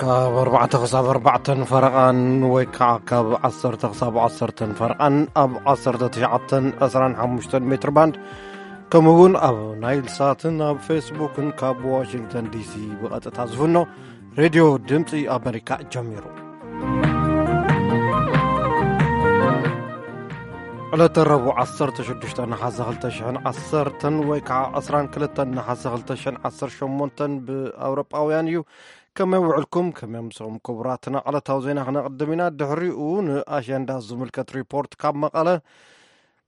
ካብ ኣርባዕተ ክሳብ ኣርባዕተን ፈረቓን ወይ ከዓ ካብ ዓሰርተ ክሳብ ዓሰርተን ፈረቓን ኣብ ዓሰርተ ትሽዓተን ዕስራን ሓሙሽተን ሜትር ባንድ፣ ከምኡ እውን ኣብ ናይል ሳትን ኣብ ፌስቡክን ካብ ዋሽንግተን ዲሲ ብቐጥታ ዝፍኖ ሬድዮ ድምፂ ኣሜሪካ ጀሚሩ። ዕለተ ረቡዕ ዓሰርተ ሽዱሽተ ነሓሰ ክልተ ሽሕን ዓሰርተን ወይ ከዓ ዕስራን ክልተን ነሓሰ ክልተ ሽሕን ዓሰርተ ሸሞንተን ብኣውሮጳውያን እዩ። ከመይ ውዕልኩም? ከመይ ኣምሰኹም? ክቡራትና ዕለታዊ ዜና ክነቕድም ኢና። ድሕሪኡ ንኣሸንዳ ዝምልከት ሪፖርት ካብ መቐለ፣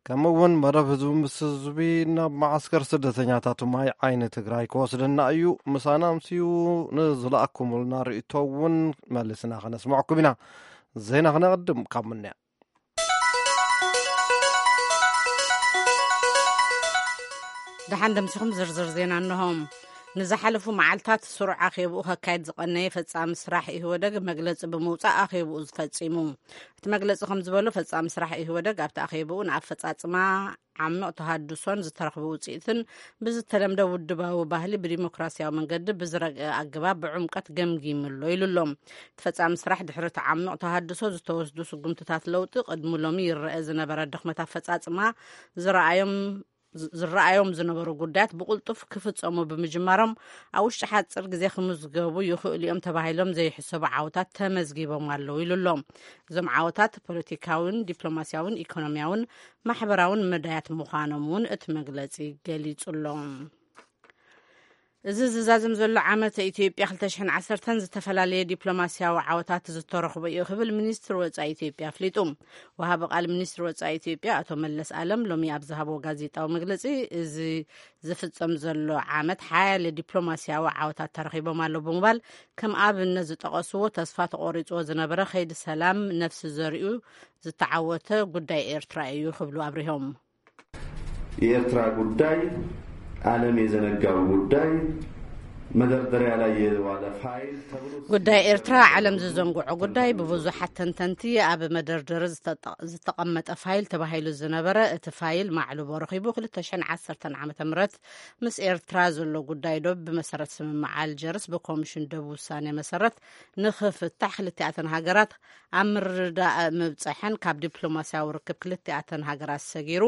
ከምኡ እውን መደብ ህዝቢ ምስ ህዝቢ ናብ መዓስከር ስደተኛታት ማይ ዓይኒ ትግራይ ክወስደና እዩ። ምሳና ኣምስዩ ንዝለኣኩምልና ርእቶ እውን መሊስና ከነስምዐኩም ኢና። ዜና ክነቕድም ካብ ምንያ። ደሓን ደምሲኹም ዝርዝር ዜና እንሆ። ንዝሓለፉ መዓልታት ስሩዕ ኣኼብኡ ከካየድ ዝቐነየ ፈጻሚ ስራሕ ኢህወደግ መግለጺ ብምውጻእ ኣኼብኡ ዝፈጺሙ። እቲ መግለጺ ከም ዝበሎ፣ ፈጻሚ ስራሕ ኢህወደግ ኣብቲ ኣኼብኡ ንኣፈጻጽማ ዓሚቕ ተሃድሶን ዝተረኽበ ውጽኢትን ብዝተለምደ ውድባዊ ባህሊ ብዲሞክራሲያዊ መንገዲ ብዝረግአ ኣገባብ ብዕምቀት ገምጊሙ ኣሎ ኢሉ ኣሎ። እቲ ፈጻሚ ስራሕ ድሕሪ እቲ ዓሚቕ ተሃድሶ ዝተወስዱ ስጉምትታት ለውጢ ቅድሚ ሎሚ ይረአ ዝነበረ ድኽመት ኣፈጻጽማ ዝረኣዮም ዝረኣዮም ዝነበሩ ጉዳያት ብቕልጡፍ ክፍጸሙ ብምጅማሮም፣ ኣብ ውሽጢ ሓጺር ግዜ ክምዝገቡ ይኽእሉ እዮም ተባሂሎም ዘይሕሰቡ ዓወታት ተመዝጊቦም ኣለዉ ኢሉ ኣሎ። እዞም ዓወታት ፖለቲካውን ዲፕሎማሲያውን ኢኮኖሚያውን ማሕበራውን መዳያት ምዃኖም እውን እቲ መግለጺ ገሊጹ ኣሎ። እዚ ዝዛዘም ዘሎ ዓመት ኢትዮጵያ ክልተ ሽሕን ዓሰርተን ዝተፈላለየ ዲፕሎማሲያዊ ዓወታት ዝተረኽቦ እዩ ክብል ሚኒስትር ወጻኢ ኢትዮጵያ ኣፍሊጡ። ወሃቢ ቃል ሚኒስትር ወጻኢ ኢትዮጵያ ኣቶ መለስ ኣለም ሎሚ ኣብ ዝሃቦ ጋዜጣዊ መግለጺ፣ እዚ ዝፍጸም ዘሎ ዓመት ሓያለ ዲፕሎማሲያዊ ዓወታት ተረኺቦም ኣሎ ብምባል፣ ከም ኣብነት ዝጠቐስዎ፣ ተስፋ ተቖሪጽዎ ዝነበረ ከይዲ ሰላም ነፍሲ ዘሪኡ ዝተዓወተ ጉዳይ ኤርትራ እዩ ክብሉ ኣብሪሆም። የኤርትራ ጉዳይ ዓለም የዘነጋው ጉዳይ፣ መደርደሪያ ላይ የዋለ ፋይል ተብሎ ጉዳይ ኤርትራ ዓለም ዝዘንግዖ ጉዳይ፣ ብብዙሓት ተንተንቲ ኣብ መደርደሪ ዝተጠ- ዝተቐመጠ ፋይል ተባሂሉ ዝነበረ፣ እቲ ፋይል ማዕልቦ ረኺቡ። ክልተ ሽሕን ዓሰርተን ዓመተ ምህረት ምስ ኤርትራ ዘሎ ጉዳይ ዶብ ብመሰረት ስምምዕ ኣልጀርስ ብኮሚሽን ዶብ ውሳኔ መሰረት ንኽፍታሕ ክልቲኣተን ሃገራት ኣብ ምርድዳእ ምብጸሐን፣ ካብ ዲፕሎማሲያዊ ርክብ ክልቲኣተን ሃገራት ሰጊሩ፣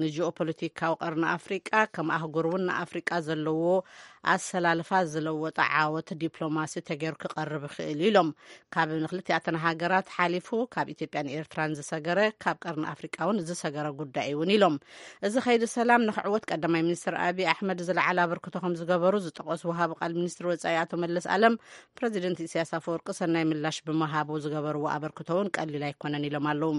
ንጂኦፖለቲካዊ ቀርኒ ኣፍሪቃ፣ ከም ኣህጉር እውን ንኣፍሪቃ ዘለዎ ኣሰላልፋ ዝለወጠ ዓወት ዲፕሎማሲ ተገይሩ ክቐርብ ይኽእል ኢሎም። ካብ ንክልቲኣተን ሃገራት ሓሊፉ ካብ ኢትዮጵያን ኤርትራን ዝሰገረ፣ ካብ ቀርኒ ኣፍሪቃ እውን ዝሰገረ ጉዳይ እውን ኢሎም። እዚ ከይዲ ሰላም ንክዕወት ቀዳማይ ሚኒስትር ኣብይ ኣሕመድ ዝለዓለ ኣበርክቶ ከም ዝገበሩ ዝጠቐሱ ወሃቢ ቃል ሚኒስትር ወጻኢ ኣቶ መለስ ኣለም፣ ፕረዚደንት ኢሳያስ ኣፈወርቂ ሰናይ ምላሽ ብምሃቡ ዝገበርዎ ኣበርክቶ እውን ቀሊል ኣይኮነን ኢሎም ኣለዉ።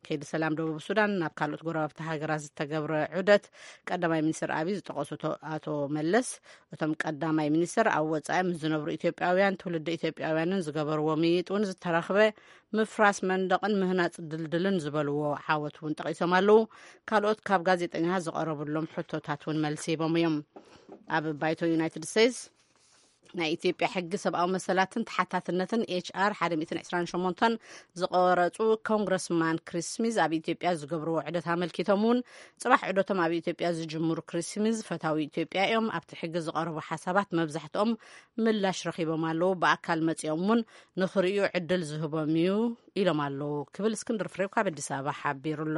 ከይዲ ሰላም ደቡብ ሱዳን ናብ ካልኦት ጎረባብቲ ሃገራት ዝተገብረ ዑደት ቀዳማይ ሚኒስትር ኣብይ ዝጠቐሱ ቶ- ኣቶ መለስ፣ እቶም ቀዳማይ ሚኒስትር ኣብ ወጻኢ ምስ ዝነብሩ ኢትዮጵያውያን ትውልዲ ኢትዮጵያውያንን ዝገበርዎ ምይጥ እውን ዝተረኽበ ምፍራስ መንደቕን ምህናጽ ድልድልን ዝበልዎ ዓወት እውን ጠቒሶም ኣለዉ። ካልኦት ካብ ጋዜጠኛታት ዝቐረቡሎም ሕቶታት እውን መልሲ ሂቦም እዮም። ኣብ ባይቶ ዩናይትድ ስቴትስ ናይ ኢትዮጵያ ሕጊ ሰብኣዊ መሰላትን ተሓታትነትን ኤች ኣር ሓደ ሚእትን ዕስራን ሸሞንተን ዝቐረጹ ኮንግረስማን ክሪስ ስሚዝ ኣብ ኢትዮጵያ ዝገብርዎ ዑደት ኣመልኪቶም እውን፣ ጽባሕ ዑደቶም ኣብ ኢትዮጵያ ዝጅምሩ ክሪስ ስሚዝ፣ ፈታዊ ኢትዮጵያ እዮም። ኣብቲ ሕጊ ዝቐረቡ ሓሳባት መብዛሕትኦም ምላሽ ረኺቦም ኣለዉ። ብኣካል መጺኦም እውን ንኽርእዩ ዕድል ዝህቦም እዩ ኢሎም ኣለዉ ክብል እስክንድር ፍሬው ካብ ኣዲስ ኣበባ ሓቢሩ ኣሎ።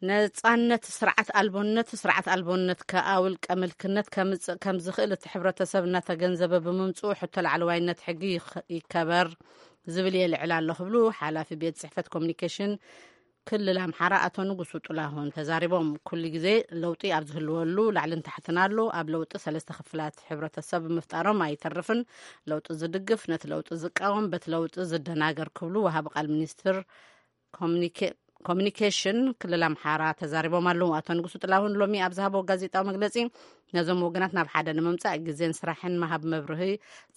ነጻነት ስርዓት ኣልቦነት፣ ስርዓት ኣልቦነት ከኣ ውልቀ ምልክነት ከምጽእ ከም ዝኽእል እቲ ሕብረተሰብ እናተገንዘበ ብምምጽኡ፣ ሕቶ ላዕለዋይነት ሕጊ ይኸ- ይከበር ዝብል የልዕል ኣሎ ክብሉ ሓላፊ ቤት ጽሕፈት ኮሚኒኬሽን ክልል ኣምሓራ ኣቶ ንጉሱ ጥላሁን ተዛሪቦም። ኩሉ ግዜ ለውጢ ኣብ ዝህልወሉ ላዕልን ታሕትን ኣሎ። ኣብ ለውጢ ሰለስተ ክፍላት ሕብረተሰብ ምፍጣሮም ኣይተርፍን። ለውጢ ዝድግፍ፣ ነቲ ለውጢ ዝቃወም፣ በቲ ለውጢ ዝደናገር ክብሉ ወሃቢ ቃል ሚኒስትር ኮሚኒኬ- ኮሚኒኬሽን ክልል ኣምሓራ ተዛሪቦም ኣለዉ። ኣቶ ንጉሱ ጥላሁን ሎሚ ኣብ ዝሃቦ ጋዜጣዊ መግለጺ፣ ነዞም ወገናት ናብ ሓደ ንምምጻእ ግዜን ስራሕን ምሃብ መብርሂ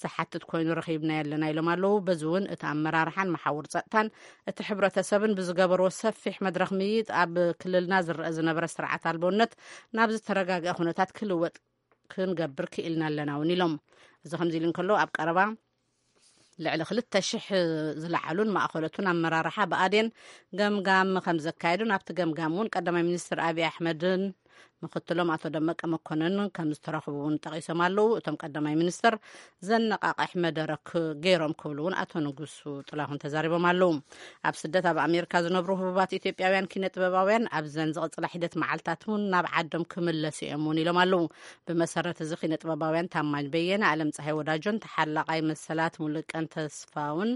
ዝሓትት ኮይኑ ረኺብናዮ ኣለና ኢሎም ኣለዉ። በዚ እውን እቲ ኣመራርሓን መሓውር ጸጥታን እቲ ሕብረተሰብን ብዝገበርዎ ሰፊሕ መድረኽ ምይይጥ ኣብ ክልልና ዝረአ ዝነበረ ስርዓት ኣልቦነት ናብ ዝተረጋግአ ኩነታት ክልወጥ ክንገብር ክኢልና ኣለና እውን ኢሎም። እዚ ከምዚ ኢሉ እንከሎ ኣብ ቀረባ ልዕሊ ክልተ ሽሕ ዝለዓሉን ማእኸሎቱን ኣመራርሓ ብኣዴን ገምጋም ከም ዘካየዱን ኣብቲ ገምጋም እውን ቀዳማይ ሚኒስትር ኣብይ ኣሕመድን ምክትሎም ኣቶ ደመቀ መኮንን ከም ዝተረኽቡ እውን ጠቒሶም ኣለዉ። እቶም ቀዳማይ ሚኒስትር ዘነቓቕሕ መደረክ ገይሮም ክብሉ እውን ኣቶ ንጉሱ ጥላሁን ተዛሪቦም ኣለዉ። ኣብ ስደት ኣብ ኣሜሪካ ዝነብሩ ህቡባት ኢትዮጵያውያን ኪነ ጥበባውያን ኣብዘን ዝቕጽላ ሒደት መዓልታት እውን ናብ ዓዶም ክምለሱ እዮም እውን ኢሎም ኣለዉ። ብመሰረት እዚ ኪነ ጥበባውያን ታማኝ በየነ፣ ኣለም ፀሃይ ወዳጆን ተሓላቓይ መሰላት ሙሉቀን ተስፋውን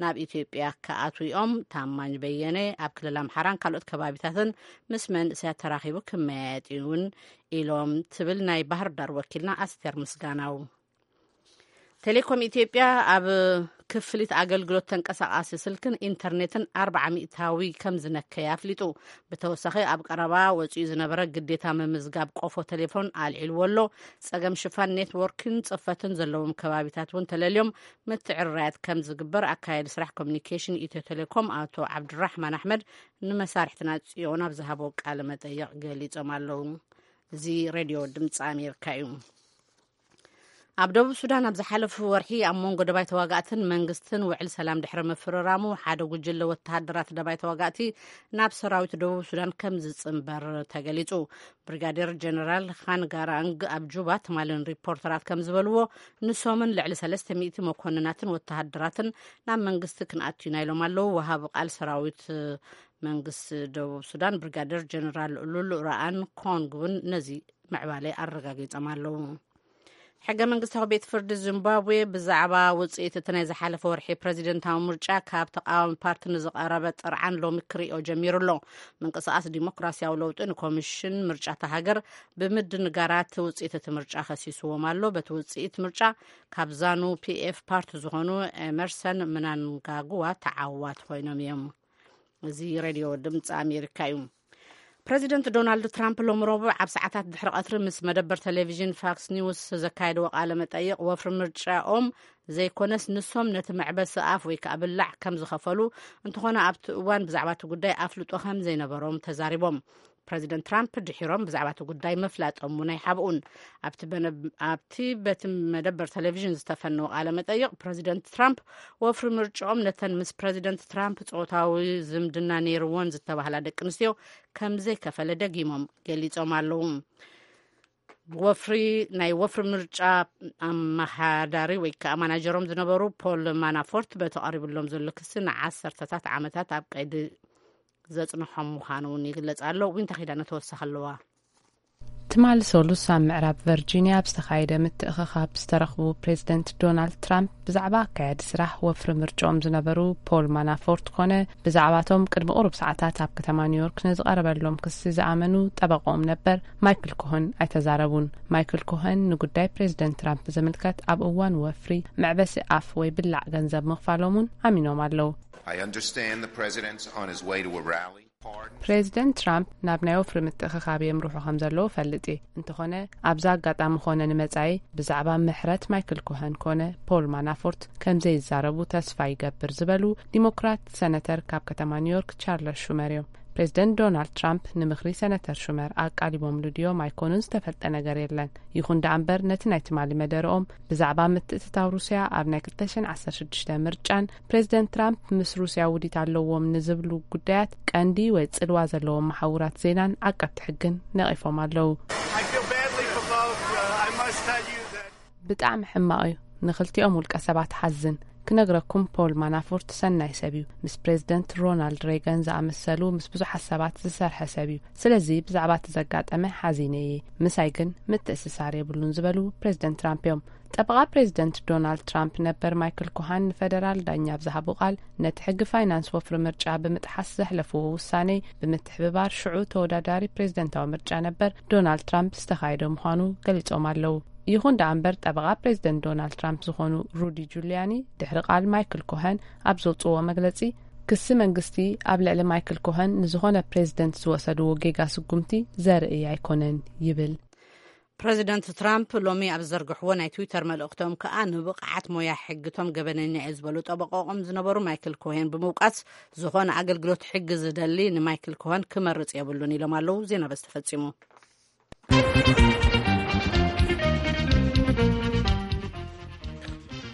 ናብ ኢትዮጵያ ክኣትዉ እዮም። ታማኝ በየነ ኣብ ክልል ኣምሓራን ካልኦት ከባቢታትን ምስ መንእሰያት ተራኺቡ ክመያየጥ እውን ኢሎም ትብል ናይ ባህር ዳር ወኪልና ኣስቴር ምስጋናው። ቴሌኮም ኢትዮጵያ ኣብ ክፍሊት ኣገልግሎት ተንቀሳቃሲ ስልክን ኢንተርኔትን ኣርባዓ ሚእታዊ ከም ዝነከየ ኣፍሊጡ። ብተወሳኺ ኣብ ቀረባ ወፂኡ ዝነበረ ግዴታ ምምዝጋብ ቆፎ ቴሌፎን ኣልዒልዎ ኣሎ። ጸገም ሽፋን ኔትወርክን ጽፈትን ዘለዎም ከባቢታት እውን ተለልዮም ምትዕርራያት ከም ዝግበር ኣካያዲ ስራሕ ኮሚኒኬሽን ኢትዮ ቴሌኮም ኣቶ ዓብዱራሕማን ኣሕመድ ንመሳርሕትና ጽዮን ኣብ ዝሃቦ ቃለ መጠይቕ ገሊጾም ኣለዉ። እዚ ሬድዮ ድምፂ ኣሜሪካ እዩ። ኣብ ደቡብ ሱዳን ኣብ ዝሓለፉ ወርሒ ኣብ መንጎ ደባይ ተዋጋእትን መንግስትን ውዕል ሰላም ድሕሪ ምፍርራሙ ሓደ ጉጅለ ወተሃደራት ደባይ ተዋጋእቲ ናብ ሰራዊት ደቡብ ሱዳን ከም ዝጽንበር ተገሊጹ። ብሪጋዴር ጀነራል ኻን ጋራንግ ኣብ ጁባ ትማልን ሪፖርተራት ከም ዝበልዎ ንሶምን ልዕሊ ሰለስተ ሚእቲ መኮንናትን ወተሃደራትን ናብ መንግስቲ ክንኣቱ ኢና ኢሎም ኣለዉ። ወሃቢ ቃል ሰራዊት መንግስቲ ደቡብ ሱዳን ብሪጋዴር ጀነራል ሉሉ ራኣን ኮንግ እውን ነዚ ምዕባለ ኣረጋጊጾም ኣለዉ። ሕገ መንግስታዊ ቤት ፍርዲ ዚምባብዌ ብዛዕባ ውፅኢት እቲ ናይ ዝሓለፈ ወርሒ ፕረዚደንታዊ ምርጫ ካብ ተቃዋሚ ፓርቲ ንዝቐረበ ጥርዓን ሎሚ ክሪኦ ጀሚሩ ኣሎ። ምንቅስቃስ ዲሞክራሲያዊ ለውጢ ንኮሚሽን ምርጫ እታ ሃገር ብምድንጋራት ውፅኢት እቲ ምርጫ ከሲስዎም ኣሎ። በቲ ውፅኢት ምርጫ ካብ ዛኑ ፒኤፍ ፓርቲ ዝኾኑ ኤመርሰን ምናንጋጉዋ ተዓዋት ኮይኖም እዮም። እዚ ሬድዮ ድምፂ ኣሜሪካ እዩ። ፕረዚደንት ዶናልድ ትራምፕ ሎሚ ረቡዕ ኣብ ሰዓታት ድሕሪ ቀትሪ ምስ መደበር ቴሌቪዥን ፋክስ ኒውስ ዘካየድዎ ቃለ መጠይቕ፣ ወፍሪ ምርጫኦም ዘይኮነስ ንሶም ነቲ መዕበሲ ኣፍ ወይ ከዓ ብላዕ ከም ዝኸፈሉ፣ እንተኾነ ኣብቲ እዋን ብዛዕባ እቲ ጉዳይ ኣፍልጦ ከም ዘይነበሮም ተዛሪቦም። ፕረዚደንት ትራምፕ ድሒሮም ብዛዕባ እቲ ጉዳይ ምፍላጦም እውን ኣይሓብኡን። ኣብቲ በነ-፣ ኣብቲ በቲ መደበር ቴሌቪዥን ዝተፈነወ ቃለ መጠይቕ፣ ፕረዚደንት ትራምፕ ወፍሪ ምርጫኦም ነተን ምስ ፕረዚደንት ትራምፕ ጾታዊ ዝምድና ነይርወን ዝተባህላ ደቂ ኣንስትዮ ከም ዘይከፈለ ደጊሞም ገሊጾም ኣለዉ። ወፍሪ ናይ ወፍሪ ምርጫ ኣመሓዳሪ ወይ ከዓ ማናጀሮም ዝነበሩ ፖል ማናፎርት በቲ ቀሪብሎም ዘሎ ክሲ ንዓሰርተታት ዓመታት ኣብ ቀይዲ ዘጽንሖም ምዃኑ እውን ይግለጽ ኣሎ። ዊንታ ኪዳነ ተወሳኺ ኣለዋ። ትማሊ ሰሉስ ኣብ ምዕራብ ቨርጂኒያ ኣብ ዝተኻየደ ምትእኽኻብ ዝተረኽቡ ፕሬዚደንት ዶናልድ ትራምፕ ብዛዕባ ኣካያዲ ስራሕ ወፍሪ ምርጫኦም ዝነበሩ ፖል ማናፎርት ኮነ ብዛዕባቶም ቅድሚ ቁሩብ ሰዓታት ኣብ ከተማ ኒውዮርክ ንዝቐረበሎም ክሲ ዝኣመኑ ጠበቆም ነበር ማይክል ኮሆን ኣይተዛረቡን። ማይክል ኮሆን ንጉዳይ ፕሬዚደንት ትራምፕ ዝምልከት ኣብ እዋን ወፍሪ መዕበሲ ኣፍ ወይ ብላዕ ገንዘብ ምኽፋሎም እውን ኣሚኖም ኣለዉ። I understand the president's on his way to a rally. Pardon. ፕሬዚደንት ትራምፕ ናብ ናይ ወፍሪ ምትእኽኻብ የምርሑ ከም ዘለዉ ፈልጥ እየ። እንተኾነ ኣብዚ ኣጋጣሚ ኮነ ንመጻኢ ብዛዕባ ምሕረት ማይክል ኮሀን ኮነ ፖል ማናፎርት ከም ዘይዛረቡ ተስፋ ይገብር ዝበሉ ዲሞክራት ሰነተር ካብ ከተማ ኒውዮርክ ቻርለስ ሹመር እዮም። ፕሬዚደንት ዶናልድ ትራምፕ ንምኽሪ ሰነተር ሹመር ኣቃሊቦምሉ ድዮም ኣይኮኑን ዝተፈልጠ ነገር የለን። ይኹን ደኣ እምበር ነቲ ናይ ትማሊ መደረኦም ብዛዕባ ምትእትታው ሩስያ ኣብ ናይ ክልተ ሽሕን ዓሰርተ ሽዱሽተ ምርጫን ፕሬዚደንት ትራምፕ ምስ ሩስያ ውዲት ኣለዎም ንዝብሉ ጉዳያት ቀንዲ ወይ ጽልዋ ዘለዎም መሓውራት ዜናን ዓቀብቲ ሕግን ነቒፎም ኣለዉ። I feel badly for both. Uh, I must tell you that ብጣዕሚ ሕማቕ እዩ። ንኽልቲኦም ውልቀ ሰባት ሓዝን። ክነግረኩም ፖል ማናፎርት ሰናይ ሰብ እዩ። ምስ ፕሬዚደንት ሮናልድ ሬገን ዝኣመሰሉ ምስ ብዙሓት ሰባት ዝሰርሐ ሰብ እዩ። ስለዚ ብዛዕባ እቲ ዘጋጠመ ሓዚነ እየ። ምሳይ ግን ምትእስሳር የብሉን ዝበሉ ፕሬዚደንት ትራምፕ እዮም። ጠበቓ ፕሬዚደንት ዶናልድ ትራምፕ ነበር ማይክል ኮሃን ንፈደራል ዳኛ ኣብ ዝሃቦ ቃል ነቲ ሕጊ ፋይናንስ ወፍሪ ምርጫ ብምጥሓስ ዘሕለፍዎ ውሳኔ ብምትሕብባር ሽዑ ተወዳዳሪ ፕሬዚደንታዊ ምርጫ ነበር ዶናልድ ትራምፕ ዝተኻየደ ምዃኑ ገሊጾም ኣለዉ። ይኹን ደኣ እምበር ጠበቓ ፕሬዚደንት ዶናልድ ትራምፕ ዝኾኑ ሩዲ ጁልያኒ ድሕሪ ቃል ማይክል ኮሀን ኣብ ዘውጽዎ መግለጺ ክሲ መንግስቲ ኣብ ልዕሊ ማይክል ኮሀን ንዝኾነ ፕሬዚደንት ዝወሰድዎ ጌጋ ስጉምቲ ዘርኢ ኣይኮነን ይብል። ፕረዚደንት ትራምፕ ሎሚ ኣብ ዝዘርግሕዎ ናይ ትዊተር መልእኽቶም ከኣ ንብቕዓት ሞያ ሕግቶም ገበነኛ እየ ዝበሉ ጠበቆኦም ዝነበሩ ማይክል ኮሄን ብምውቃስ ዝኾነ ኣገልግሎት ሕጊ ዝደሊ ንማይክል ኮሄን ክመርጽ የብሉን ኢሎም ኣለዉ። ዜና በዚ ተፈጺሙ።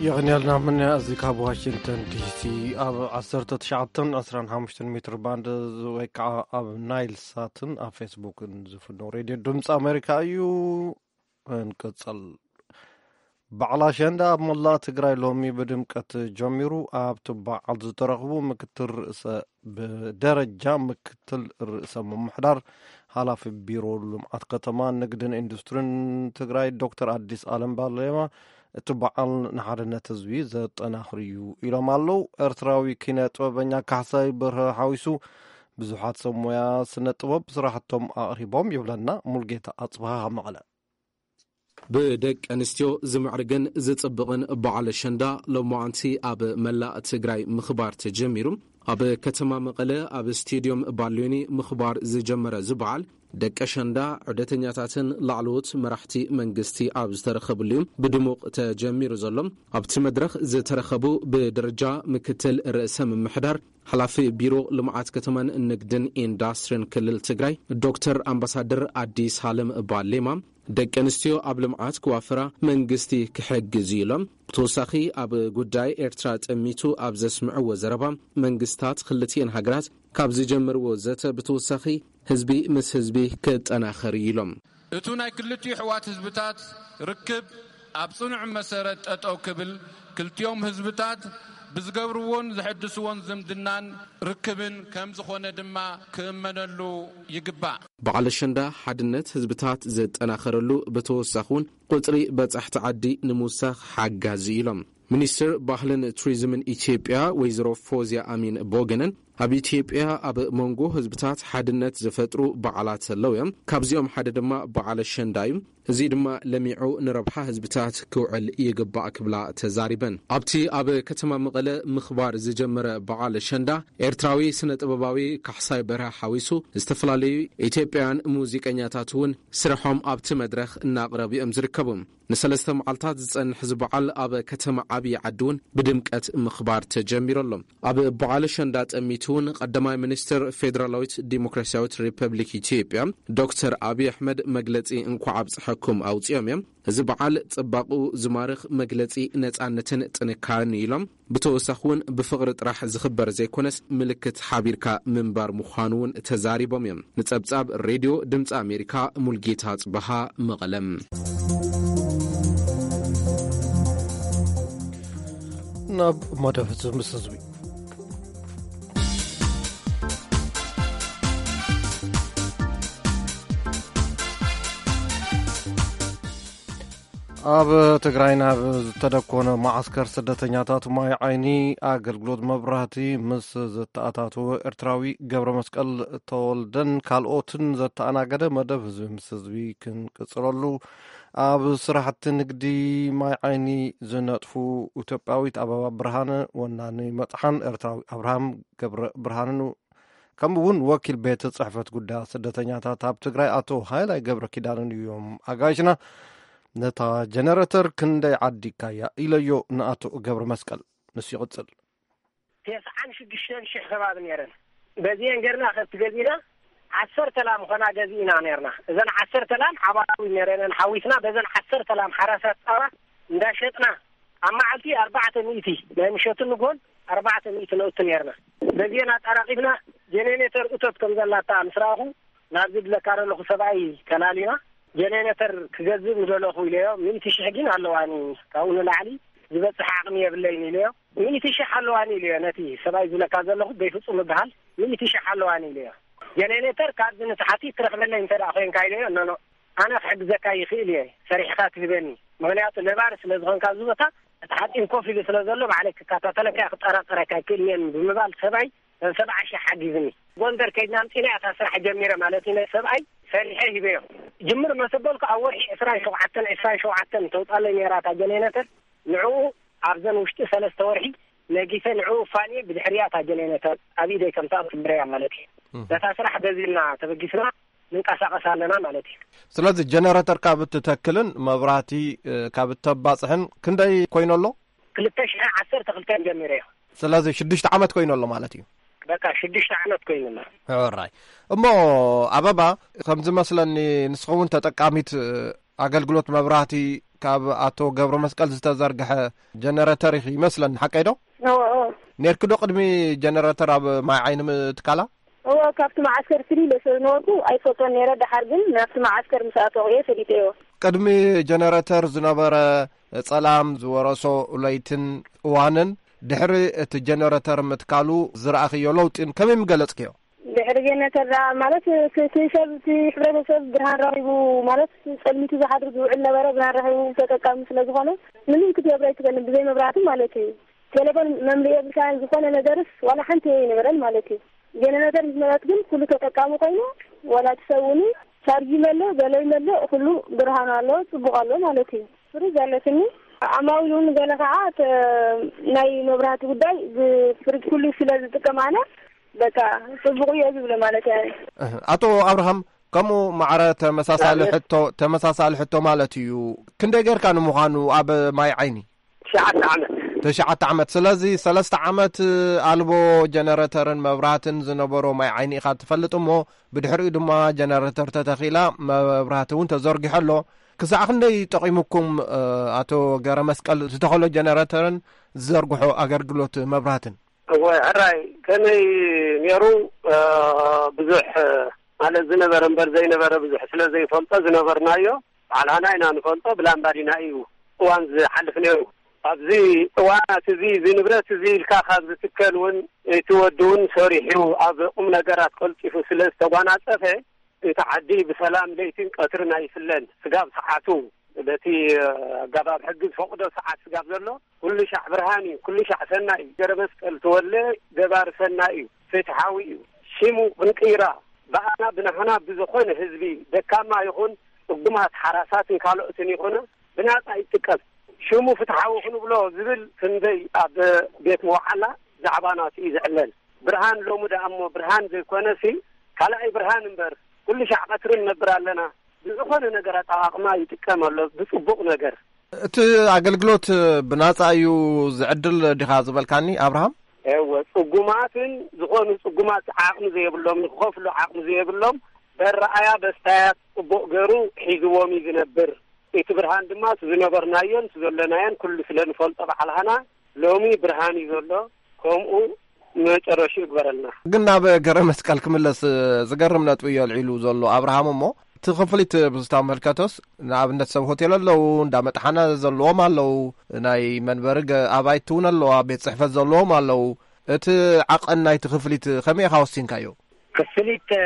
የቕንየልና ምንያ። እዚ ካብ ዋሽንግተን ዲሲ ኣብ ዓሰርተ ትሽዓተን ዕስራን ሓሙሽተን ሜትር ባንድ ወይ ከዓ ኣብ ናይል ሳትን ኣብ ፌስቡክን ዝፍኖ ሬድዮ ድምፂ ኣሜሪካ እዩ። እንቅፅል። በዓል ኣሸንዳ ኣብ መላእ ትግራይ ሎሚ ብድምቀት ጀሚሩ። ኣብቲ በዓል ዝተረኽቡ ምክትል ርእሰ፣ ብደረጃ ምክትል ርእሰ ምምሕዳር፣ ሓላፊ ቢሮ ልምዓት ከተማ፣ ንግድን ኢንዱስትሪን ትግራይ ዶክተር ኣዲስ ኣለም ባሌማ፣ እቲ በዓል ንሓድነት ህዝቢ ዘጠናኽር እዩ ኢሎም ኣለዉ። ኤርትራዊ ኪነ ጥበበኛ ካሕሳይ በርሀ ሓዊሱ ብዙሓት ሰብ ሞያ ስነ ጥበብ ስራሕቶም ኣቕሪቦም ይብለና ሙልጌታ ኣጽብሃ ካብ መቐለ። ብደቂ ኣንስትዮ ዝምዕርግን ዝጽብቕን በዓል ኣሸንዳ ሎማዓንቲ ኣብ መላእ ትግራይ ምኽባር ተጀሚሩ። ኣብ ከተማ መቐለ ኣብ ስቴድዮም ባልዮኒ ምኽባር ዝጀመረ እዚ በዓል፣ ደቂ ኣሸንዳ፣ ዑደተኛታትን ላዕለዎት መራሕቲ መንግስቲ ኣብ ዝተረኸብሉ እዩ ብድሙቕ ተጀሚሩ ዘሎ። ኣብቲ መድረኽ ዝተረኸቡ ብደረጃ ምክትል ርእሰ ምምሕዳር፣ ሓላፊ ቢሮ ልምዓት ከተማን ንግድን ኢንዳስትሪን ክልል ትግራይ ዶክተር ኣምባሳደር ኣዲስ ሃለም ባሌማ፣ ደቂ ኣንስትዮ ኣብ ልምዓት ክዋፍራ መንግስቲ ክሕግዝ እዩ ኢሎም። ብተወሳኺ፣ ኣብ ጉዳይ ኤርትራ ጠሚቱ ኣብ ዘስምዕዎ ዘረባ፣ መንግስታት ክልቲኤን ሃገራት ካብ ዝጀመርዎ ዘተ ብተወሳኺ፣ ህዝቢ ምስ ህዝቢ ክጠናኸር እዩ ኢሎም። እቱ ናይ ክልቲኡ ኣሕዋት ህዝብታት ርክብ ኣብ ጽኑዕ መሰረት ጠጠው ክብል፣ ክልቲኦም ህዝብታት ብዝገብርዎን ዘሐድስዎን ዝምድናን ርክብን ከም ዝኾነ ድማ ክእመነሉ ይግባእ። በዓል ኣሸንዳ ሓድነት ህዝብታት ዘጠናኸረሉ፣ ብተወሳኺ እውን ቁጽሪ በጻሕቲ ዓዲ ንምውሳኽ ሓጋዚ ኢሎም። ሚኒስትር ባህልን ቱሪዝምን ኢትዮጵያ ወይዘሮ ፎዝያ ኣሚን ቦገነን፣ ኣብ ኢትዮጵያ ኣብ መንጎ ህዝብታት ሓድነት ዝፈጥሩ በዓላት ኣለዉ እዮም። ካብዚኦም ሓደ ድማ በዓል ኣሸንዳ እዩ። እዚ ድማ ለሚዑ ንረብሓ ህዝብታት ክውዕል ይግባእ ክብላ ተዛሪበን። ኣብቲ ኣብ ከተማ መቐለ ምኽባር ዝጀመረ በዓል ኣሸንዳ፣ ኤርትራዊ ስነ ጥበባዊ ካሕሳይ በርሀ ሓዊሱ ዝተፈላለዩ ኢትዮጵያውያን ሙዚቀኛታት እውን ስርሖም ኣብቲ መድረኽ እናቕረቡ እዮም ዝርከቡ። ንሰለስተ መዓልታት ዝጸንሕ እዚ በዓል ኣብ ከተማ ዓብዪ ዓዲ እውን ብድምቀት ምኽባር ተጀሚሩ ኣሎ። ኣብ በዓል ኣሸንዳ ጠሚቱ እውን ቀዳማይ ሚኒስትር ፌዴራላዊት ዲሞክራሲያዊት ሪፐብሊክ ኢትዮጵያ ዶክተር ኣብይ ኣሕመድ መግለጺ እንኳዕ ኣብጽሐኩም ኣውጺኦም እዮም። እዚ በዓል ጽባቕኡ ዝማርኽ መግለጺ ነጻነትን ጥንካረን እዩ ኢሎም። ብተወሳኺ እውን ብፍቕሪ ጥራሕ ዝኽበር ዘይኮነስ ምልክት ሓቢርካ ምንባር ምዃኑ እውን ተዛሪቦም እዮም። ንጸብጻብ ሬድዮ ድምፂ ኣሜሪካ ሙልጌታ ጽበሃ መቐለም። ናብ መደብ ህዝቢ ምስ ህዝቢ። ኣብ ትግራይ ናብ ዝተደኮነ መዓስከር ስደተኛታት ማይ ዓይኒ ኣገልግሎት መብራህቲ ምስ ዘተኣታተወ ኤርትራዊ ገብረ መስቀል ተወልደን ካልኦትን ዘተኣናገደ መደብ ህዝቢ ምስ ህዝቢ ክንቅጽለሉ፣ ኣብ ስራሕቲ ንግዲ ማይ ዓይኒ ዝነጥፉ ኢትዮጵያዊት ኣበባ ብርሃነ፣ ወናኒ መጽሓን ኤርትራዊ ኣብርሃም ገብረ ብርሃንን፣ ከምኡ እውን ወኪል ቤት ጽሕፈት ጉዳያት ስደተኛታት ኣብ ትግራይ ኣቶ ሃይላይ ገብረ ኪዳንን እዮም ኣጋይሽና። ነታ ጀነረተር ክንደይ ዓዲካያ ኢለዮ ንኣቶ ገብረ መስቀል። ንሱ ይቕጽል። ተስዓን ሽዱሽተን ሽሕ ከባቢ ነይረን። በዚአን ገርና ከብቲ ገዚእና ዓሰርተ ላም ኾና ገዚእና ነርና። እዘን ዓሰርተ ላም ሓባራዊ ነረነን ሓዊስና በዘን ዓሰርተ ላም ሓራሳት ፃባ እንዳሸጥና ኣብ መዓልቲ ኣርባዕተ ሚእቲ ናይ ምሸትን ንግሆን ኣርባዕተ ሚእቲ ነውቲ ነርና። በዚአን ኣጣራቂፍና ጀኔሬተር እቶት ከም ዘላታ ምስ ረኣኹ ናብዚ ድለካ ዘለኹ ሰብኣይ ከላሊና ጀኔሬተር ክገዝእ ምደለኹ ኢለዮ። ሚእቲ ሽሕ ግን ኣለዋኒ ካብኡ ንላዕሊ ዝበፅሕ ዓቕሚ የብለይን ኢለዮ። ሚእቲ ሽሕ ኣለዋኒ ኢለዮ ነቲ ሰብኣይ ዝብለካ ዘለኹ በይፍፁም ይበሃል። ሚእቲ ሽሕ ኣለዋኒ ኢለዮ። ጀኔሬተር ካብዚ ንታሕቲ ትረኽበለይ እንተ ደኣ ኮይንካ ኢለዮ። ኖኖ ኣነ ክሕግዘካ ይኽእል እየ ሰሪሕኻ ትህበኒ። ምኽንያቱ ነባሪ ስለ ዝኾንካ ኣብዚ ቦታ እቲ ሓፂን ኮፍ ኢሉ ስለ ዘሎ ባዕለይ ክከታተለካ ክጠራጠረካ ኣይክእልን እየ ብምባል ሰብኣይ ሰብዓ ሽሕ ሓጊዝኒ። ጎንደር ከይድና ኣምፂና እያ እታ ስራሕ ጀሚረ ማለት እዩ። ነቲ ሰብኣይ ሰሪሐ ሂበዮ። ጅምር መሰበልኩ ኣብ ወርሒ ዕስራን ሸውዓተን ዕስራን ሸውዓተን ተውፃለይ ነይራ እታ ጀኔሬተር። ንዕኡ ኣብዘን ውሽጢ ሰለስተ ወርሒ ነጊሰ ንዕኡ ፋንየ ብድሕሪያ እታ ጀኔሬተር ኣብ ኢደይ ከም ትኣቱ ግበረያ ማለት እዩ። ነታ ስራሕ በዚ እና ተበጊስና ንንቀሳቐስ ኣለና ማለት እዩ። ስለዚ ጀነረተር ካብ እትተክልን መብራህቲ ካብ እተባፅሕን ክንደይ ኮይኑ ኣሎ? ክልተ ሽሕ ዓሰርተ ክልተ ጀሚረ እዮ። ስለዚ ሽዱሽተ ዓመት ኮይኑ ኣሎ ማለት እዩ። በቃ ሽዱሽተ ዓመት ኮይኑ ኣሎ። ሕራይ። እሞ ኣበባ፣ ከም ዝመስለኒ ንስኹም እውን ተጠቃሚት ኣገልግሎት መብራህቲ ካብ ኣቶ ገብረ መስቀል ዝተዘርግሐ ጀነረተር ኢኺ ይመስለኒ፣ ሓቀይ ዶ? እዎ፣ እዎ። ኔርኪ ዶ ቅድሚ ጀነረተር ኣብ ማይ ዓይኒ ምትካላ? እዎ፣ ካብቲ መዓስከር ፍልይ ኢለ ስለ ዝነበርኩ ኣይፈልጦን ነይረ። ደሓር ግን ናብቲ መዓስከር ምስ ኣተኹ እየ ፈሊጠዮ። ቅድሚ ጀነረተር ዝነበረ ጸላም ዝወረሶ ለይትን እዋንን ድሕሪ እቲ ጀነረተር ምትካሉ ዝረኣኽዮ ለውጢን ከመይ ምገለጽክዮ? ድሕሪ ጀነተር ደኣ ማለት እቲ፣ እቲ ሰብ፣ እቲ ሕብረተሰብ ብርሃን ረኺቡ፣ ማለት ጸልሚቱ ዝሓድር ዝውዕል ነበረ፣ ብርሃን ረኺቡ ተጠቃሚ ስለ ዝኾነ ምንም ክትገብር ኣይትኽእልን፣ ብዘይ መብራህቲ ማለት እዩ። ቴሌፎን መምልኢ የብልካን፣ ዝኾነ ነገርስ ዋላ ሓንቲ ኣይነበረን ማለት እዩ። ጀነረተር ምስ መጸት ግን ኩሉ ተጠቃሚ ኮይኑ፣ ዋላ እቲ ሰብ እውን ቻርጅ ይመልእ፣ ገለ ይመልእ፣ ኩሉ ብርሃን ኣሎ፣ ጽቡቕ ኣሎ ማለት እዩ። ፍሪጅ ኣለትኒ። ኣማዊል እውን ገለ ከዓ ተ-፣ ናይ መብራህቲ ጉዳይ ብ-፣ ፍሪጅ ኩሉ ስለ ዝጥቀም ኣነ፣ በቃ ጽቡቕ እየ ዝብሎ ማለት እየ። እህ፣ ኣቶ ኣብርሃም፣ ከምኡ ማዕረ ተመሳሳሊ ናብነት ሕቶ፣ ተመሳሳሊ ሕቶ ማለት እዩ። ክንደይ ጌርካ ንምዃኑ ኣብ ማይ ዓይኒ? ትሽዓተ ዓመት። ትሽዓተ ዓመት። ስለዚ ሰለስተ ዓመት ኣልቦ ጀነረተርን መብራህትን ዝነበሮ ማይ ዓይኒ ኢኻ ትፈልጥ እሞ፣ ብድሕሪኡ ድማ ጀነረተር ተተኺላ፣ መብራህቲ እውን ተዘርጊሑ ኣሎ። ክሳዕ ክንደይ ጠቒሙኩም፣ እ፣ ኣቶ ገረ መስቀል ዝተኸሎ ጀነረተርን ዝዘርግሖ ኣገልግሎት መብራህትን? እወ፣ ሕራይ ከመይ ነይሩ? እ፣ ብዙሕ፣ እ፣ ማለት ዝነበረ እምበር ዘይነበረ ብዙሕ ስለ ዘይፈልጦ ዝነበርናዮ ባዕላና ኢና ንፈልጦ፣ ብላምባዲና እዩ እዋን ዝሓልፍ ነይሩ። ኣብዚ እዋናት እዚ፣ እዚ ንብረት እዚ ኢልካ ካብ ዝትከል እውን፣ እቲ ወዲ እውን ሰሪሑ ኣብ ቁም ነገራት ቀልጢፉ ስለ ዝተጓናጸፈ፣ እቲ ዓዲ ብሰላም ለይትን ቀትርን ኣይፍለን። ስጋብ ሰዓቱ፣ በቲ ኣገባብ ሕጊ ዝፈቕዶ ሰዓት ስጋብ ዘሎ፣ ኩሉ ሻዕ ብርሃን እዩ፣ ኩሉ ሻዕ ሰናይ እዩ። ገረ መስቀል ተወለ ገባሪ ሰናይ እዩ፣ ፍትሓዊ እዩ። ሽሙ ክንቅይራ፣ ብኣና ብናህና ብዝኾነ ህዝቢ፣ ደካማ ይኹን ጽጉማት ሓራሳትን ካልኦትን ይኹን፣ ብናጻ ይጥቀም። ሽሙ ፍትሓዊ ክንብሎ ዝብል ክንደይ ኣብ ቤት መውዓላ ዛዕባ ናቱ እዩ ዝዕለል። ብርሃን ሎሚ ደኣ እሞ ብርሃን ዘይኮነሲ፣ ካልኣይ ብርሃን እምበር፣ ኩሉ ሻዕ ቀትሪ ንነብር ኣለና። ብዝኾነ ነገር ኣጠቓቕማ ይጥቀም ኣሎ፣ ብጽቡቕ ነገር። እቲ ኣገልግሎት ብናጻ እዩ ዝዕድል ዲኻ ዝበልካኒ ኣብርሃም? እወ፣ ጽጉማትን ዝኾኑ ጽጉማት ዓቕሚ ዘይብሎም፣ ንክኸፍሉ ዓቕሚ ዘይብሎም፣ በረኣያ በስታያት ጽቡቕ ገሩ ሒዝዎም እዩ ዝነብር። እቲ ብርሃን ድማ እቲ ዝነበርናዮን እቲ ዘለናዮን ኩሉ ስለ ንፈልጦ ባዕልሃና፣ ሎሚ ብርሃን እዩ ዘሎ። ከምኡ መጨረሽኡ ይግበረልና። ግን ናብ ገረ መስቀል ክምለስ፣ ዝገርም ነጥቢ እዩ ኣልዒሉ ዘሎ ኣብርሃም። እሞ እቲ ክፍሊት ብዝተመልከተስ፣ ንኣብነት ሰብ ሆቴል ኣለዉ፣ እንዳ መጥሓና ዘለዎም ኣለዉ፣ ናይ መንበሪ ገ-፣ ኣባይቲ እውን ኣለዋ፣ ቤት ጽሕፈት ዘለዎም ኣለዉ። እቲ ዓቐን ናይቲ ክፍሊት ከመይ ኢኻ ወሲንካዮ? ክፍሊት፣ እ፣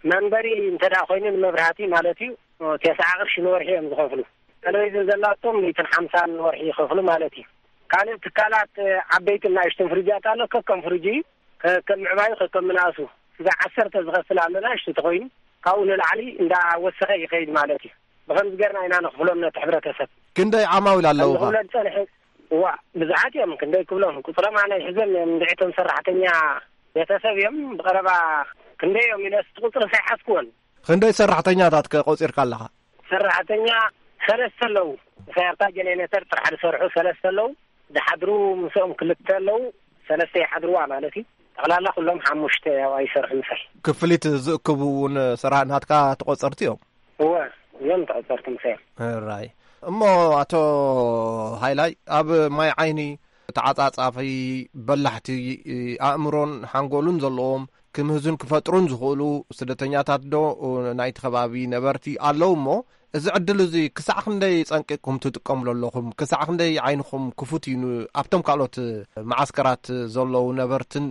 መንበሪ እንተ ደኣ ኮይኑ ንመብራህቲ ማለት እዩ፣ እ፣ ተስዓ ቅርሺ ንወርሒ እዮም ዝኸፍሉ። ቴሌቪዥን ዘላቶም ሚእትን ሓምሳን ንወርሒ ይኸፍሉ ማለት እዩ። ካልእ ትካላት፣ እ፣ ዓበይትን ንኣሽቱን ፍሪጃት ኣሎ፣ ከከም ፍሪጁ እዩ፣ ከከም ምዕባዩ፣ ከከም ምንኣሱ። ስጋ ዓሰርተ ዝኸፍል ኣሎ፣ ንኣሽቱ ተኾይኑ፣ ካብኡ ንላዕሊ እንዳወሰኸ ይኸይድ ማለት እዩ። ብኸምዚ ገርና ኢና ንኽፍሎም ነቲ ሕብረተሰብ። ክንደይ ዓማዊል ኣለውኻ? ንኽፍሎም ዝጸንሐ፣ እዋ፣ ብዙሓት እዮም፣ ክንደይ ክብሎም፣ ቁጽሮም ኣነ ኣይሕዞም እዮም፣ እንድዒ እቶም ሰራሕተኛ ቤተሰብ እዮም፣ ብቐረባ ክንደይ እዮም ኢለስ እቲ ቁጽሪ ሳይሓዝክዎን። ክንደይ ሰራሕተኛታት ከ ቆጺርካ ኣለኻ? ሰራሕተኛ ሰለስተ ኣለዉ። ምሳይ ኣብታ ጀነሬተር ጥራሕ ዝሰርሑ ሰለስተ ኣለዉ። ዝሓድሩ ምስኦም ክልተ ኣለዉ። ሰለስተ ይሓድርዋ ማለት እዩ። ጠቕላላ ኩሎም ሓሙሽተ ያው ኣይሰርሑ ምሳይ። ክፍሊት ዝእክቡ እውን ሰራ-፣ ናትካ ተቆጸርቲ እዮም? እወ፣ እዮም ተቆጸርቲ ምሳይ። ራይ። እሞ ኣቶ ሃይላይ፣ ኣብ ማይ ዓይኒ ተዓጻጻፊ በላሕቲ ኣእምሮን ሓንጎልን ዘለዎም ክምህዙን ክፈጥሩን ዝኽእሉ ስደተኛታት ዶ ናይቲ ከባቢ ነበርቲ ኣለዉ እሞ፣ እዚ ዕድል እዚ ክሳዕ ክንደይ ጸንቂቕኩም ትጥቀምሉ ኣለኹም? ክሳዕ ክንደይ ዓይንኹም ክፉት እዩ ን-፣ ኣብቶም ካልኦት መዓስከራት ዘለዉ ነበርትን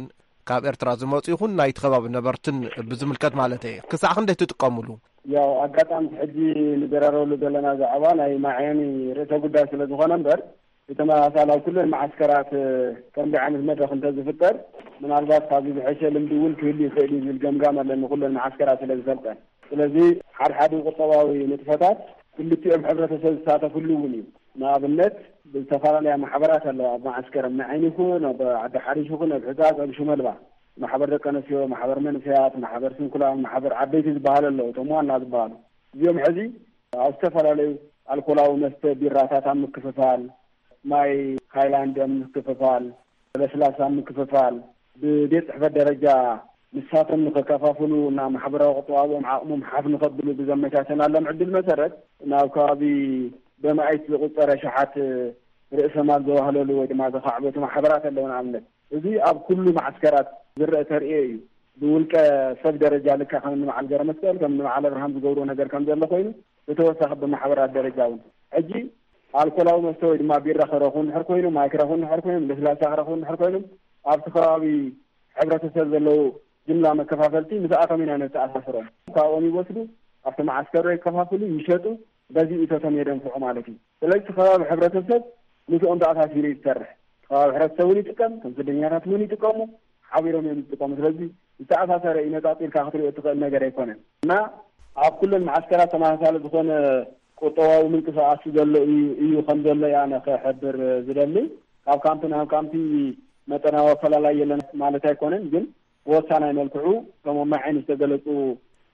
ካብ ኤርትራ ዝመጹ ይኹን ናይቲ ከባቢ ነበርትን ብዝምልከት ማለት እየ። ክሳዕ ክንደይ ትጥቀምሉ? ያው ኣጋጣሚ ሕጂ ንደራረበሉ ዘለና ዛዕባ ናይ ማዕየኒ ርእሰ ጉዳይ ስለ ዝኾነ እምበር፣ ብተመሳሳሊ ኣብ ኩለን መዓስከራት፣ እ፣ ከምዚ ዓይነት መድረኽ እንተዝፍጠር፣ ምናልባት ካብዚ ዝሐሸ ልምዲ እውን ክህሉ ይኽእል እዩ ዝብል ገምጋም ኣለኒ፣ ኩለን መዓስከራት ስለ ዝፈልጠን። ስለዚ ሓድሓዱ ቁጠባዊ ንጥፈታት ክልቲኦም ሕብረተሰብ ዝሳተፍሉ እውን እዩ። ንኣብነት፣ ብዝተፈላለያ ማሕበራት ኣለዋ፣ ኣብ መዓስከር ኣብ ማይ ዓይኒ ይኹን፣ ኣብ ዓዲ ሓሪሽ ይኹን፣ ኣብ ሕጻጽ፣ ኣብ ሽመልባ፣ ማሕበር ደቂ ኣንስትዮ፣ ማሕበር መንእሰያት፣ ማሕበር ስንኩላን፣ ማሕበር ዓበይቲ ዝበሃሉ ኣለዉ፣ እቶም ዋና ዝበሃሉ። እዚኦም ሕዚ ኣብ ዝተፈላለዩ ኣልኮላዊ መስተ፣ ቢራታት ኣብ ምክፍፋል፣ ማይ ሃይላንድ ኣብ ምክፍፋል፣ ለስላሳ ኣብ ምክፍፋል፣ ብቤት ጽሕፈት ደረጃ ንሳቶም ንኸከፋፍሉ እና ማሕበራዊ ቁጠባዎም ዓቕሞም ሓፍ ንኸብሉ ብዘመቻቸናሎም ዕድል መሰረት፣ ናብ ከባቢ በማይት ዝቁጸረ ሸሓት ርእሰ ማል ዘዋህለሉ ወይ ድማ ዘኻዕበቱ ማሕበራት ኣለዉ። ንኣብነት፣ እዚ ኣብ ኩሉ ማዕስከራት ዝረአ ተርእዮ እዩ። ብውልቀ ሰብ ደረጃ ልካ ከም ንበዓል ገረ መስቀል፣ ከም ንበዓል ኣብርሃም ዝገብርዎ ነገር ከም ዘሎ ኮይኑ፣ ብተወሳኺ ብማሕበራት ደረጃ እውን። ሕጂ ኣልኮላዊ መስተ ወይ ድማ ቢራ ክረኽቡ እንድሕር ኮይኑ፣ ማይ ክረኽቡ እንድሕር ኮይኖም፣ ለስላሳ ክረኽቡ እንድሕር ኮይኖም፣ ኣብቲ ከባቢ ሕብረተሰብ ዘለዉ ጅምላ መከፋፈልቲ ምስኣቶም ኢና ነተኣሳስሮም። ካብኦም ይወስዱ፣ ኣብቲ መዓስከር የከፋፍሉ፣ ይሸጡ፣ በዚ እቶቶም የደንፍዑ ማለት እዩ። ስለዚ እቲ ከባቢ ሕብረተሰብ ምስኦም ተኣሳሲሩ እዩ ዝሰርሕ። እቲ ከባቢ ሕብረተሰብ እውን ይጥቀም፣ ከም ስደኛታት እውን ይጥቀሙ፣ ሓቢሮም እዮም ዝጥቀሙ። ስለዚ ዝተኣሳሰረ እዩ፣ ነጻጺርካ ክትሪኦ እትኽእል ነገር ኣይኮነን። እና ኣብ ኩለን መዓስከራት ተመሳሳሊ ዝኾነ ቁጠባዊ ምንቅስቃስ ዘሎ እዩ፣ እዩ ከም ዘሎ እየ ኣነ ክሕብር ዝደሊ። ካብ ካምፕ ናብ ካምፕ መጠናዊ ኣፈላላይ የለን ማለት ኣይኮነን፣ ግን ብወሳናይ መልክዑ፣ ከም ኣብ ማይ ዓይኒ ዝተገለጹ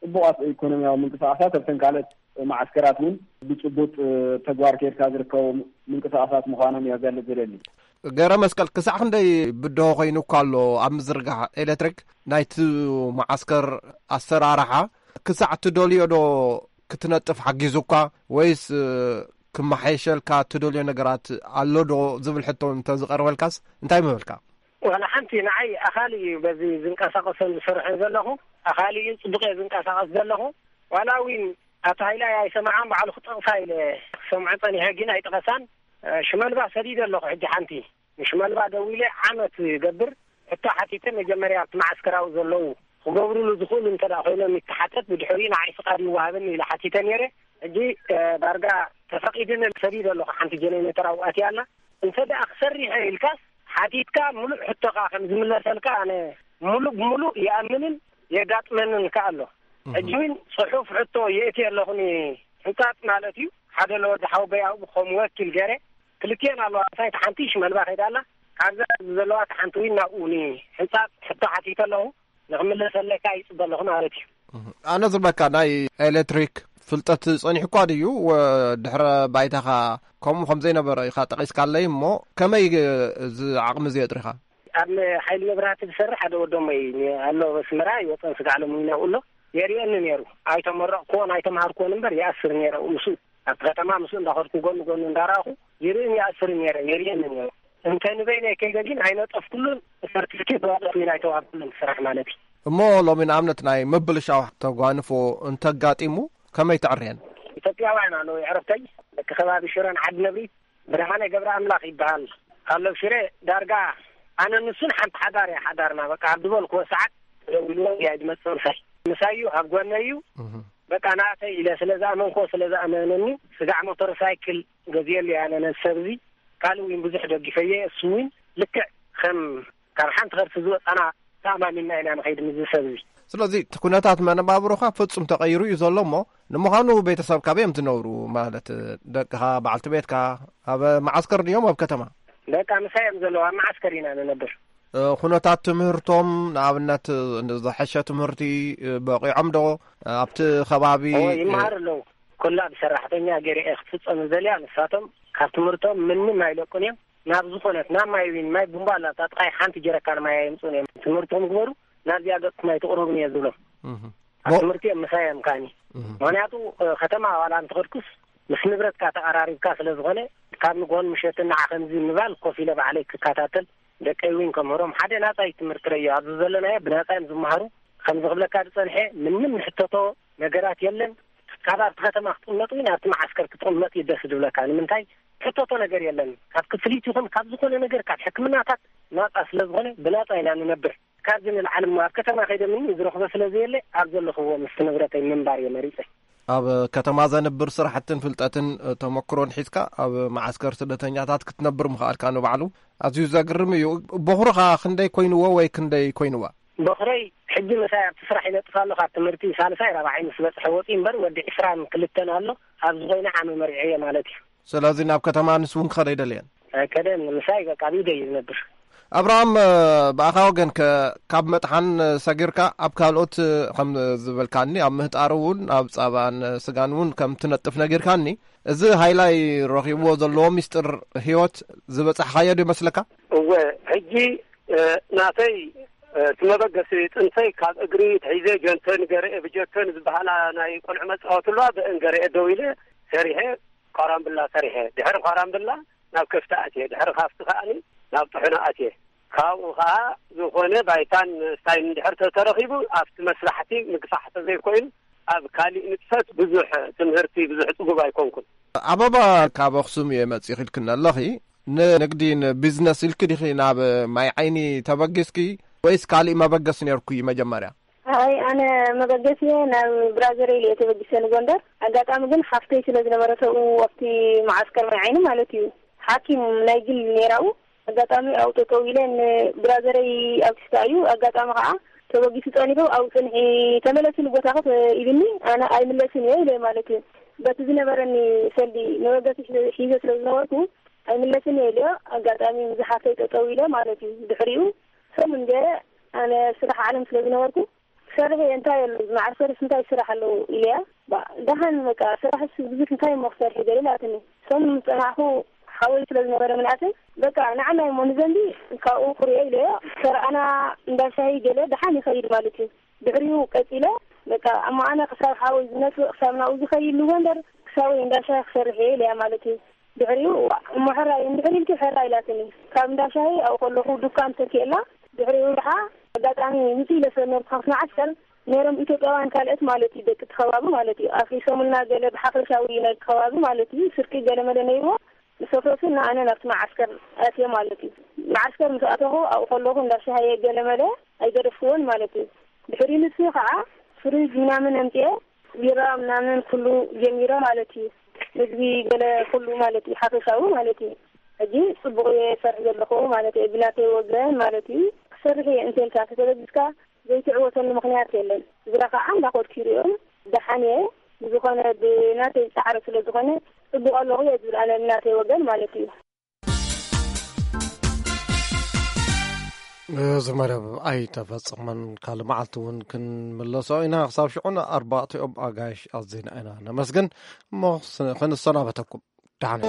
ጽቡቓት ኢኮኖሚያዊ ምንቅስቃሳት ኣብተን ካልኦት መዓስከራት እውን ብጭቡጥ ተግባር ከይድካ ዝርከቡ ምንቅስቃሳት ምዃኖም እየ ክገልጽ ዝደሊ። ገረ መስቀል፣ ክሳዕ ክንደይ ብድሆ ኮይኑ እኳ ኣሎ ኣብ ምዝርጋሕ ኤሌክትሪክ ናይቲ መዓስከር ኣሰራርሓ? ክሳዕ ትደልዮ ዶ ክትነጥፍ ሓጊዙ እኳ፣ ወይስ ክመሓየሸልካ ትደልዮ ነገራት ኣሎ ዶ ዝብል ሕቶ እንተዝቐርበልካስ እንታይ ምበልካ? ዋላ ሓንቲ፣ ንዓይ ኣኻሊ እዩ በዚ ዝንቀሳቐሰን ዝሰርሕን ዘለኹ። ኣኻሊ እዩ፣ ጽቡቕ እየ ዝንቀሳቐስ ዘለኹ። ዋላ እውን ኣቶ ሃይላይ ኣይሰምዓን፣ ባዕሉ ክጠቕሳ ኢለ ክሰምዖ ጸኒሐ፣ ግን ኣይጠቐሳን። ሽመልባ ሰዲደ ኣለኹ። ሕጂ ሓንቲ ንሽመልባ ደዊለ፣ ዓመት ይገብር፣ ሕቶ ሓቲተ። መጀመርያ ኣብቲ መዓስከራዊ ዘለዉ ክገብሩሉ ዝኽእሉ እንተ ደኣ ኮይኖም ይተሓተት፣ ብድሕሪኡ ንዓይ ፍቓድ ይወሃበኒ ኢለ ሓቲተ ነይረ። ሕጂ ዳርጋ ተፈቒድኒ፣ ሰዲደ ኣለኹ። ሓንቲ ጀነሬተር ኣብኡ ኣትያ ኣላ። እንተ ደኣ ክሰርሕ ኢልካስ፣ ሓቲትካ ምሉእ ሕቶኻ ከም ዝምለሰልካ ኣነ ምሉእ ብምሉእ ይኣምንን የጋጥመንን ከኣ ኣሎ። ሕጂ እውን ጽሑፍ ሕቶ የእትየ ኣለኹ፣ ንሕንጻጽ ማለት እዩ። ሓደ ለወዲ ሓወቦይ ኣብኡ ከም ወኪል ገይረ፣ ክልቲኤን ኣለዋ። እታ ሓንቲ ሽመልባ ከይዳ ኣላ። ካብዛ ዘለዋ እታ ሓንቲ እውን ናብኡ ንሕንጻጽ ሕቶ ሓቲተ ኣለኹ። ንኽምለሰለካ ይጽበ ኣለኹ ማለት እዩ። ኣነ ዝብለካ፣ ናይ ኤሌክትሪክ ፍልጠት ጸኒሑ እኳ ድዩ? ወ-፣ ድሕረ ባይታኻ ከምኡ ከም ዘይነበረ ኢኻ ጠቒስካለይ እሞ፣ ከመይ እዚ ዓቕሚ እዚ የጥሪኻ? ኣብ ሓይሊ መብራህቲ ዝሰርሕ ሓደ ወዶመይ ኣሎ፣ ኣብ ኣስመራ ይወፀን ስጋዕ ሎሚ ይነብኡ ኣሎ። የርእየኒ ነይሩ። ኣይተመረቕኩዎን ኣይተምሃርኩዎን እምበር ይኣስር ነይረ ምስኡ። ኣብቲ ከተማ ምስኡ እንዳኸድኩ ጎኒ ጎኒ እንዳረኣኹ ይርእን ይኣስርን ነይረ፣ የርእየኒ ነይሩ። እንተ ንበይነይ ከይደ ግን ኣይነጠፍኩሉን፣ ሰርቲፊኬት ዋላ ኮይን ኣይተዋህብኩሉን ስራሕ ማለት እዩ። እሞ ሎሚ ንኣብነት ናይ ምብልሻው ተጓንፎ እንተጋጢሙ ከመይ ተዕርየን? ኢትዮጵያውያን ኣለዉ፣ የዕርክተይ፣ ደቂ ከባቢ ሽረን ዓዲ ነብሪ፣ ብርሃነ ገብረ ኣምላኽ ይበሃል። ኣሎ ሽረ ዳርጋ ኣነ ንሱን ሓንቲ ሓዳር እያ ሓዳርና። በቃ ኣብ ዝበልክዎ ሰዓት ደዊልዎ እያ ዝመጽእ ምሳይ። ምሳይ እዩ፣ ኣብ ጎነይ እዩ። እህ። በቃ ናተይ ኢለ ስለ ዝኣመንኮ፣ ስለ ዝኣመነኒ፣ ስጋዕ ሞተር ሳይክል ገዚኤሉ እየ ኣነ ነዚ ሰብ እዚ። ካልእ እውን ብዙሕ ደጊፈየ፣ እሱ እውን ልክዕ ከም ካብ ሓንቲ ከርሲ ዝወጻና ተኣማሚንና ኢና ንኸይድ ምስዚ ሰብ እዚ። ስለዚ እቲ ኩነታት መነባብሮኻ ፍጹም ተቐይሩ እዩ ዘሎ እሞ፣ ንምዃኑ ቤተሰብ ካበይ እዮም ዝነብሩ? ማለት ደቅኻ፣ በዓልቲ ቤትካ ኣብ መዓስከር ድዮም ኣብ ከተማ? ደቃ ምሳይ እዮም ዘለዉ፣ ኣብ መዓስከር ኢና ንነብር። እ፣ ኩነታት ትምህርቶም፣ ንኣብነት፣ ዝሐሸ ትምህርቲ፣ እ፣ በቂዖም ዶ ኣብቲ ከባቢ? እወ፣ እ፣ ይመሃሩ ኣለዉ። ኩላ ብሰራሕተኛ ገይረ እየ ክትፍጸም ዝደልያ፣ ንሳቶም ካብ ትምህርቶም ምንም ኣይለቁን እዮም። ናብ ዝኾነት፣ ናብ ማይ ዊን፣ ማይ ቡምባ ኣላ፣ ኣብታ ጥቓይ ሓንቲ ጀረካን ማይ ኣየምጽኡን እዮም። ትምህርቶም ግበሩ፣ ናብዚኣ ገጽኩም ኣይትቕረቡን እየ ዝብሎም። እህ። ኣብ ትምህርቲ እዮም ምሳይ እዮም ከኣኒ። እህ። ምኽንያቱ፣ እ፣ ከተማ ዋላ እንተኸድኩስ፣ ምስ ንብረትካ ተቐራሪብካ ስለ ዝኾነ፣ ካብ ንግሆን ምሸትን ንዓ ከምዚ ምባል ኮፍ ኢለ ባዕለይ ክከታተል፣ ደቀይ እውን ከምህሮም፣ ሓደ ናጻ እዩ ትምህርቲ ረዮ፣ ኣብዚ ዘለናዮ ብናጻ እዮም ዝመሃሩ። ከምዚ ክብለካ ዝጸንሐ፣ ምንም ንሕተቶ ነገራት የለን። ካብ ኣብቲ ከተማ ክትቕመጥ ወይ ናብቲ መዓስከር ክትቕመጥ እዩ ደስ ዝብለካ። ንምንታይ? ሕተቶ ነገር የለን። ካብ ክፍሊት ይኹን ካብ ዝኾነ ነገር፣ ካብ ሕክምናታት ናጻ ስለ ዝኾነ፣ ብናጻ ኢና ንነብር። ካብዚ ንላዕሊ እሞ ኣብ ከተማ ከይደ ምንም ዝረኽቦ ስለ ዘየለ፣ ኣብ ዘለኽዎ ምስቲ ንብረተይ ምንባር እየ መሪጸ። ኣብ ከተማ ዘንብር ስራሕትን ፍልጠትን፣ እ፣ ተመክሮን ሒዝካ ኣብ መዓስከር ስደተኛታት ክትነብር ምኽኣልካ ንባዕሉ ኣዝዩ ዘግርም እዩ። በኹርኻ ክንደይ ኮይንዎ ወይ ክንደይ ኮይንዋ? በኹረይ ሕጂ ምሳይ ኣብቲ ስራሕ ይነጥፍ ኣሎ። ካብ ትምህርቲ ሳልሳይ ራብዓይ ምስ በጽሐ ወጺኡ እምበር፣ ወዲ ዕስራን ክልተን ኣሎ። ኣብዚ ኮይነ ዓመ መሪዐዮ ማለት እዩ። ስለዚ ናብ ከተማ ንሱ እውን ክኸደ ኣይደለየን? ኣይከደን። ምሳይ በቃ ኣብ ኢደይ እዩ ዝነብር። ኣብርሃም፣ እ፣ ብኣኻ ወገን ከ፣ ካብ መጥሓን ሰጊርካ ኣብ ካልኦት፣ እ፣ ከም ዝበልካኒ ኣብ ምህጣር እውን ኣብ ጻባን ስጋን እውን ከም ትነጥፍ ነጊርካኒ፣ እዚ ሃይላይ ረኺብዎ ዘለዎ ሚስጥር ህይወት ዝበጻሕካዮ ዶ ይመስለካ? እወ፣ ሕጂ፣ እ፣ ናተይ፣ እ፣ እቲ መበገሲ ጥንተይ ካብ እግሪ ትሒዘ ጀንተን ገረኤ ብጀተን ዝበሃላ ናይ ቆልዑ መጻወቲ ኣለዋ፣ ብአን ገረኤ ደው ኢለ ሰሪሐ ኳራምብላ ሰሪሐ። ድሕሪ ኳራምብላ ናብ ከፍቲ ኣትየ። ድሕሪ ካፍቲ ከኣኒ ናብ ጥሕኖ ኣትየ። ካብኡ ኸዓ ዝኾነ ባይታን ስታይን ድሕር ተተረኺቡ ኣብቲ መስራሕቲ ምግፋሕ ተዘይኮይኑ ኣብ ካሊእ ንጥፈት ብዙሕ ትምህርቲ ብዙሕ ጽጉብ ኣይኮንኩን። ኣበባ፣ ካብ ኣኽሱም እየ መጺኺ ኢልክኒ ኣለኺ። ንንግዲ ንቢዝነስ ኢልኪ ዲኺ ናብ ማይ ዓይኒ ተበጊስኪ ወይስ ካሊእ መበገሲ ነይርኩ እዩ መጀመርያ? ኣይ፣ ኣነ መበገሲ እየ ናብ ብራዘረይ እየ ተበጊሰ ንጎንደር። ኣጋጣሚ ግን ሓፍተይ ስለ ዝነበረ ሰብኡ ኣብቲ መዓስከር ማይ ዓይኒ ማለት እዩ፣ ሓኪም ናይ ግል ነይራኡ። ኣጋጣሚ ኣብኡ ጠጠው ኢለ ንብራዘረይ ኣብቲ ስታ እዩ። ኣጋጣሚ ከዓ ተበጊሱ ጸኒሑ ኣብኡ ጽንሒ ተመለሲ ንቦታኸ ኢሉኒ። ኣነ ኣይምለስን እየ ኢለ ማለት እዩ። በቲ ዝነበረኒ ሰልዲ መበገሲ ሒዘ ስለ ዝነበርኩ ኣይምለስን እየ ኢለ። ኣጋጣሚ ምስ ሓፍተይ ጠጠው ኢለ ማለት እዩ። ድሕሪኡ ሰሙን ገለ ኣነ ስራሕ ዓለም ስለ ዝነበርኩ ክሰርሕ እየ፣ እንታይ ኣሎ እዚ መዓስከርስ እንታይ ስራሕ ኣለዎ ኢለያ። ባ-፣ ደሓን በቃ ስራሕስ ብዙሕ እንታይ እሞ ክሰርሕ ገለ ኢላትኒ። ሰሙን ምስ ጸናሕኩ ሓወይ ስለ ዝነበረ ምንኣተይ በቃ ንዓናይ እሞ ንዘንቢ ካብኡ ክሪኦ ኢለዮ። ተረኣና እንዳ ሻሂ ገለ ደሓን ይኸይድ ማለት እዩ። ድሕሪኡ ቀጺለ በቃ እሞ ኣነ ክሳብ ሓወይ ዝመጽእ ክሳብ ናብኡ ዝኸይድ ንጎንደር ክሳብ ወይ እንዳ ሻሂ ክሰርሕ እየ ኢለያ ማለት እዩ። ድሕሪኡ እሞ ሕራይ እንድሕር ኢልኪ ሕራይ ኢላትኒ። ካብ እንዳ ሻሂ ኣብኡ ከለኹ ዱካን ተኪኤላ። ድሕሪኡ ደሓ ኣጋጣሚ ውፅእ ኢለ ስለ ነበርኩ ካብቲ መዓስከር ነይሮም ኢትዮጵያውያን ካልኦት ማለት እዩ፣ ደቂ እቲ ከባቢ ማለት እዩ፣ ኣፍሪሶምልና ገለ ብሓፈሻዊ ናይ ከባቢ ማለት እዩ፣ ስርቂ ገለ መለ ነይርዎ። ምስ ኣፍረሱ ንኣነ ናብቲ መዓስከር ኣትየ ማለት እዩ። መዓስከር ምስ ኣተኹ ኣብኡ ከለኹ እንዳ ሻሂ ገለ መለ ኣይገደፍኩዎን ማለት እዩ። ድሕሪ ንሱ ከዓ ፍሪጅ ምናምን ኣምፅኤ ቢራ ምናምን ኩሉ ጀሚረ ማለት እዩ። ምግቢ ገለ ኩሉ ማለት እዩ፣ ሓፈሻዊ ማለት እዩ። ሕጂ ፅቡቕ እየ ሰርሕ ዘለኹ ማለት እዩ። ብናተይ ወገን ማለት እዩ ክሰርሕ እየ እንተልካ ተተበጊስካ ዘይትዕወተሉ ምኽንያት የለን። ስድራ ከዓ እንዳኸድኩ ይሪኦም ደሓን እየ። ብዝኾነ ብናተይ ፃዕሪ ስለ ዝኾነ ፅቡቕ ኣለኹ እየ ዝብል ኣነ ብናተይ ወገን ማለት እዩ። እዚ መደብ ኣይተፈጸመን። ካልእ መዓልቲ እውን ክንምለሶ ኢና። ክሳብ ሽዑ ንኣርባዕቲኦም ኣጋይሽ ኣዚና ኢና ነመስግን። እሞ ክንሰናበተኩም ደሓን